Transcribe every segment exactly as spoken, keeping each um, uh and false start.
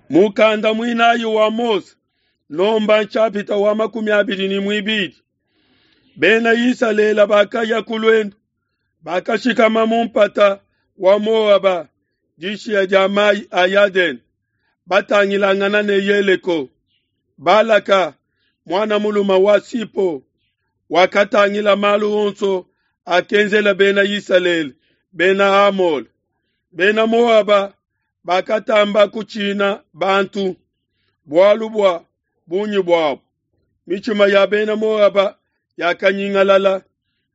Mukanda muinayi wa Mose, nomba nshapita wa makumi abidi ne muibidi. Bena Isalele bakaya ku luendu, bakashikama mu mpata wa Moaba dishiya dia mayi a Yadene, batangilangana ne Yeleko. Balaka muana mulume wa Sipo wakatangila malu onso akenzela bena Isalele bena Amole. Bena Moaba bakatamba kutshina bantu bualu bua bungi buabu. Mitshima ya bena Moaba yakanyingalala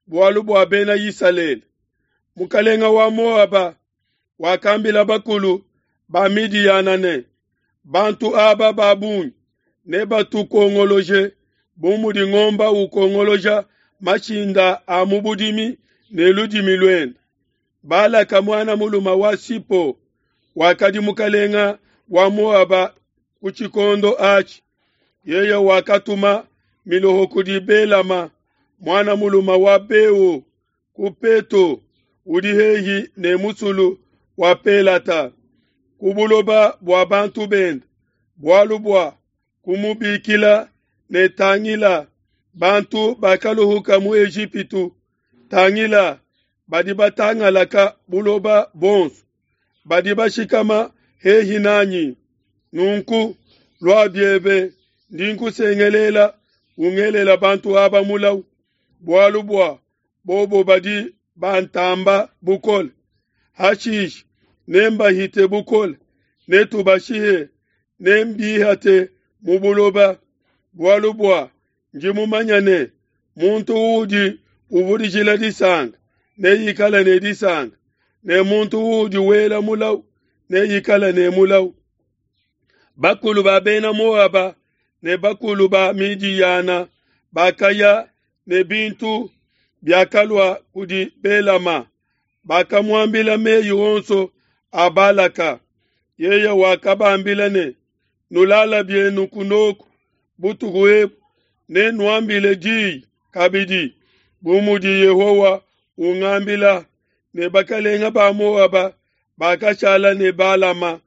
bualu bua bena Isalele. Mukalenga wa Moaba wakambila bakulu ba Midiyana ne, bantu aba ba bungi nebatukongoloje bu mudi ngomba ukongoloja mashinda a mu budimi ne ludimi luende. Balaka muana mulume wa Sipo wakadi mukalenga wa Moaba ku tshikondo atshi. Yeye wakatuma miloho kudi Belama muana mulume wa Beo ku Peto udi hehi ne musulu wa Pelata ku buloba bua bantu bende, bualu bua kumubikila ne tangila bantu bakaluhuka mu Ejipitu, tangila badi batangalaka buloba bonso, badi bashikama hehi nanyi. Nunku lua biebe ndi nkusengelela ungelela bantu aba mulau, bualu bua bobo badi bantamba bukole. Hashishe nembahite bukole, netubashihe, nembihate mu buloba, bualu bua ndi mumanya ne muntu udi uvudijila disanka neikale ne disanka, ne muntu udi wela mulau neikale ne mulau. Bakulu ba bena Moaba ne bakulu ba Midiyana bakaya ne bintu biakalua kudi Belama, bakamuambila meyi onso a Balaka. Yeye wakabambila ne, nulala bienu kunoku butuku ebu, ne nuambile diyi kabidi bu mudi Yehowa ungambila. Ne bakalenga ba Moaba bakashala ne Balama.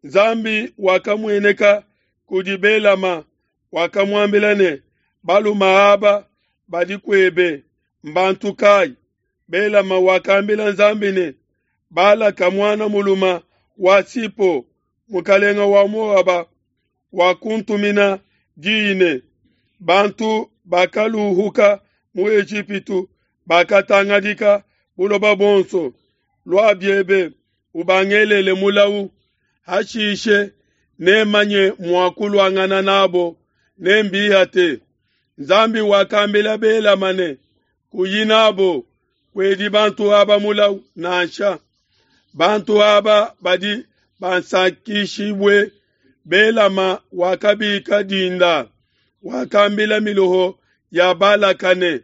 Nzambi wakamueneka kudi Belama, wakamuambila ne, baluma aba badi kuebe mbantu kayi? Belama wakambila Nzambi ne, Balaka muana muluma wa Sipo mukalenga wa Moaba wakuntumina diyi ne, bantu bakaluhuka mu Ejipitu bakatangadika buloba bonso, lua biebe ubangelele mulau, hashishe nemanye mua kuluangana nabo, nembihate. Nzambi wakambila Belama ne, kuyi nabo, kuedi bantu aba mulau nansha. Bantu aba badi bansakishibue. Belama wakabika dinda, wakambila miloho ya Balaka ne,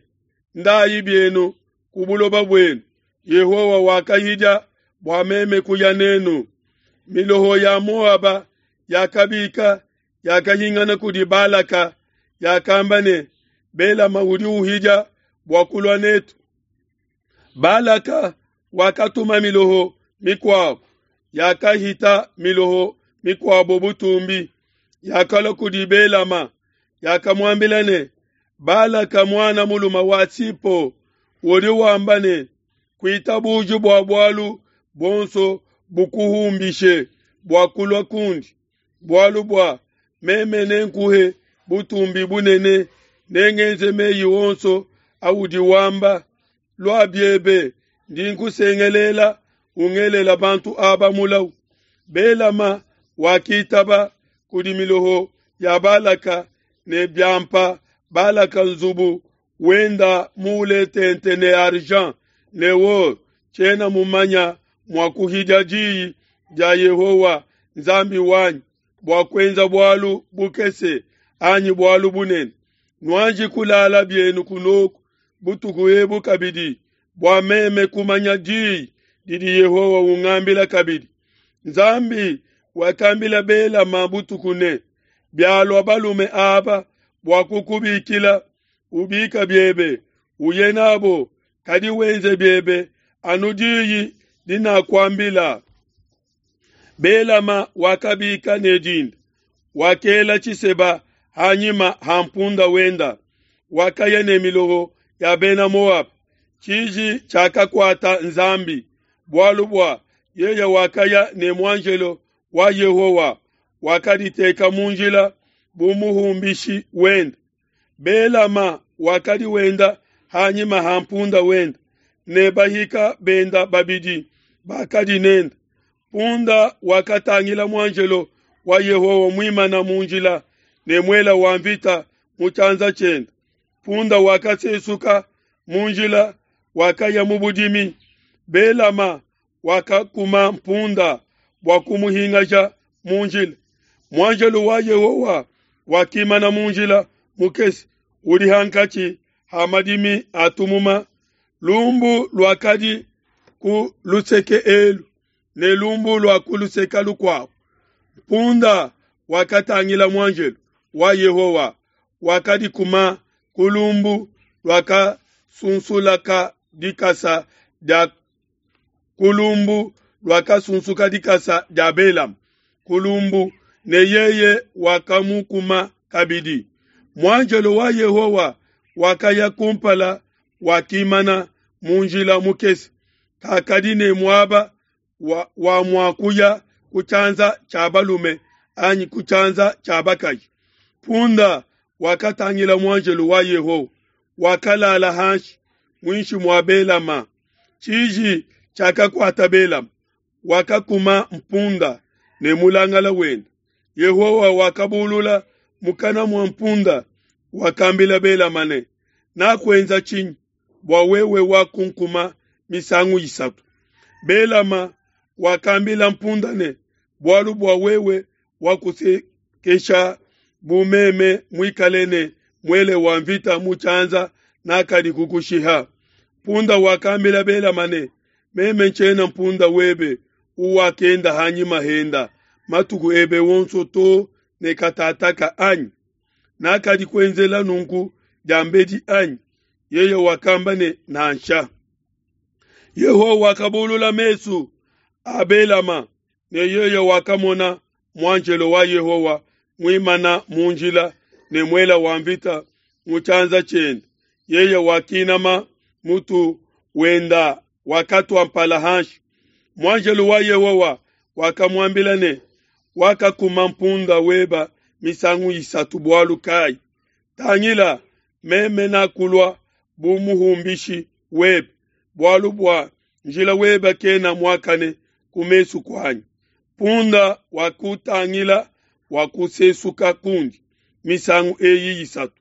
ndayi bienu ku buloba buenu, Yehowa wakahidia bua meme kuya nenu. Miloho ya Moaba yakabika yakahingana kudi Balaka, yakamba ne, Belama udi uhidia bua kulua netu. Balaka wakatuma miloho mikuabo, yakahita miloho mikuabo butumbi, yakalua kudi Belama, yakamuambila ne, Balaka muana mulume wa Sipo udi wamba ne, kuitabuji bua bualu bonso bukuhumbishe bua kulua kundi, bualu bua meme nenkuhe butumbi bunene, nengenze meyi onso audi wamba. Lua biebe ndi nkusengelela ungelela bantu aba mulau. Belama wakitaba kudi miloho ya Balaka ne biampa Balaka nzubu wenda mule tente ne argent ne or, tshiena mumanya mua kuhidia diyi dia Yehowa Nzambi wanyi bua kuenza bualu bukese anyi bualu bunene. Nuanji kulala bienu kunoku butuku ebu kabidi, bua meme kumanya diyi didi Yehowa ungambila kabidi. Nzambi wakambila Belama butuku ne, bialua balume aba bua kukubikila, ubika biebe uye nabo, kadi wenze biebe anu diyi dinakuambila. Belama wakabika ne dinda, wakela tshiseba hanyima ha mpunda wenda, wakaya ne miloho ya Bena Moaba. Tshiji tshiakakuata Nzambi, bualu bua yeye wakaya ne muanjelo wa Yehowa, wakaditeka mu njila bu muhumbishi wende. Belama wakadi wenda hanyima ha mpunda wenda, ne bahika benda babidi bakadi nende. Punda wakatangila muanjelo wa Yehowa muimana mu njila ne muela wa mvita mu tshianza tshiende. Punda wakasesuka mu njila, wakaya mu budimi. Belama wakakuma mpunda bua kumuhingaja mu njila. Muanjelo wa Yehowa wakimana mu njila mukese udi hankatshi ha madimi a tumuma. Lumbu luakadi ku luseke elu ne lumbu lua ku luseke lukuabu. Punda wakatangila muanjelo wa Yehowa, wakadikuma ku lumbu luakasunsulaka dikasa dia ku lumbu luakasunsuka dikasa dia Belama ku lumbu, ne yeye wakamukuma kabidi. Muanjelo wa Yehowa wakaya kumpala, wakimana mu njila mukese, kakadi ne muaba wa, wa mua kuya ku tshianza tshia balume anyi ku tshianza tshia bakaji. Punda wakatangila muanjelo wa Yehowa, wakalala hanshi muinshi mua Belama. Tshiji tshiakakuata Belama, wakakuma mpunda ne mulangala wende. Yehowa wakabulula mukana mua mpunda, wakambila Belama ne, nakuenza tshinyi bua wewe wakunkuma misangu isatu? Belama wakambila mpunda ne, bualu bua wewe wakusekesha bu meme muikale ne muele wa mvita mu tshianza nakadi kukushiha. Punda wakambila Belama ne, meme ntshiena mpunda webe uwakenda hanyima henda matuku ebe wonso to ne katataka anyi? Nakadi kuenzela nunku diambedi anyi? Yeye wakamba ne, nansha. Yehowa wakabulula mesu a Belama, ne yeye wakamona muanjelo wa Yehowa muimana mu njila ne muela wa mvita mu tshianza tshiende. Yeye wakinama mutu wenda, wakatua mpala hanshi. Muanjelo wa Yehowa wakamuambila ne, wakakuma mpunda weba misangu isatu bualu kai? Tangila, meme nakulua bu muhumbishi webe, bualu bua njila weba kena muakane ku mesu kuanyi. Punda wakutangila wakusesuka kundi misangu eyi isatu.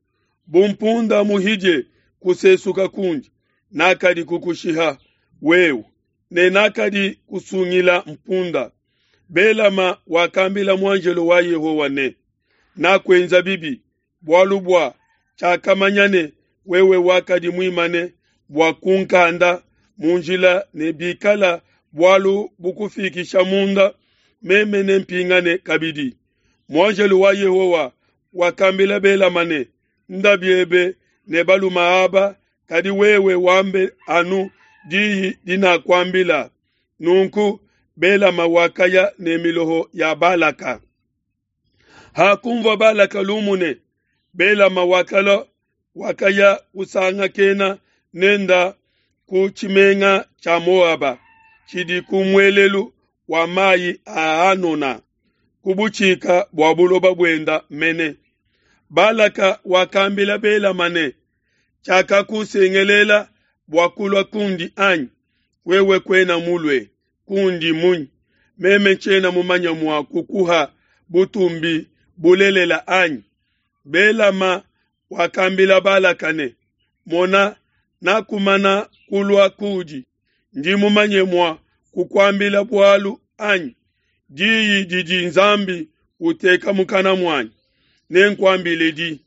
Bu mpunda muhidie kusesuka kundi, nakadi kukushiha wewe, ne nakadi kusungila mpunda. Belama wakambila muanjelo wa Yehowa ne, nakuenza bibi, bualu bua tshiakamanya ne wewe wakadi muimane bua kunkanda mu njila, ne bikala bualu bukufikisha munda, meme nempingane kabidi. Muanjelo wa Yehowa wakambila Belama ne, nda biebe ne baluma aba, kadi wewe wambe anu diyi dinakuambila. Nunku Belama wakaya ne miloho ya Balaka. Hakumvua Balaka lumu ne Belama wakala wakaya kusangakena nenda ku tshimenga tshia Moaba, tshidi ku muelelu wa mayi a Anona, ku butshika bua buloba buenda mene. Balaka wakambila Belama ne, tshiakakusengelela bua kulua kundi anyi? Wewe kuena mulue kundi munyi? Meme ntshiena mumanye mua kukuha butumbi bulelela anyi? Belama wakambila Balaka ne, mona, nakumana kulua kudi, ndi mumanye mua kukuambila bualu anyi? Diyi didi Nzambi uteka mukana muanyi, nenkuambile di.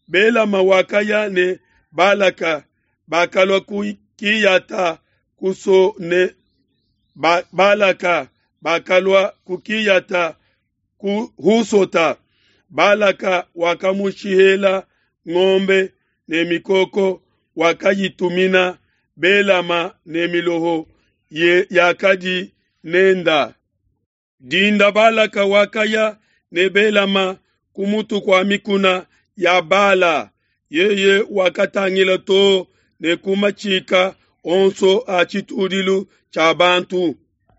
Belama wakaya ne Balaka, bakalua ku Kiyata kuso ne ba, Balaka bakalua ku Kiyata ku Husota. Balaka wakamushihela ngombe ne mikoko, wakayitumina Belama ne miloho ye yakadi nenda. Dinda Balaka wakaya ne Belama ku mutu kua mikuna ya Bala. Yeye wakatangila too ne ku matshika onso a tshitudilu tshia bantu.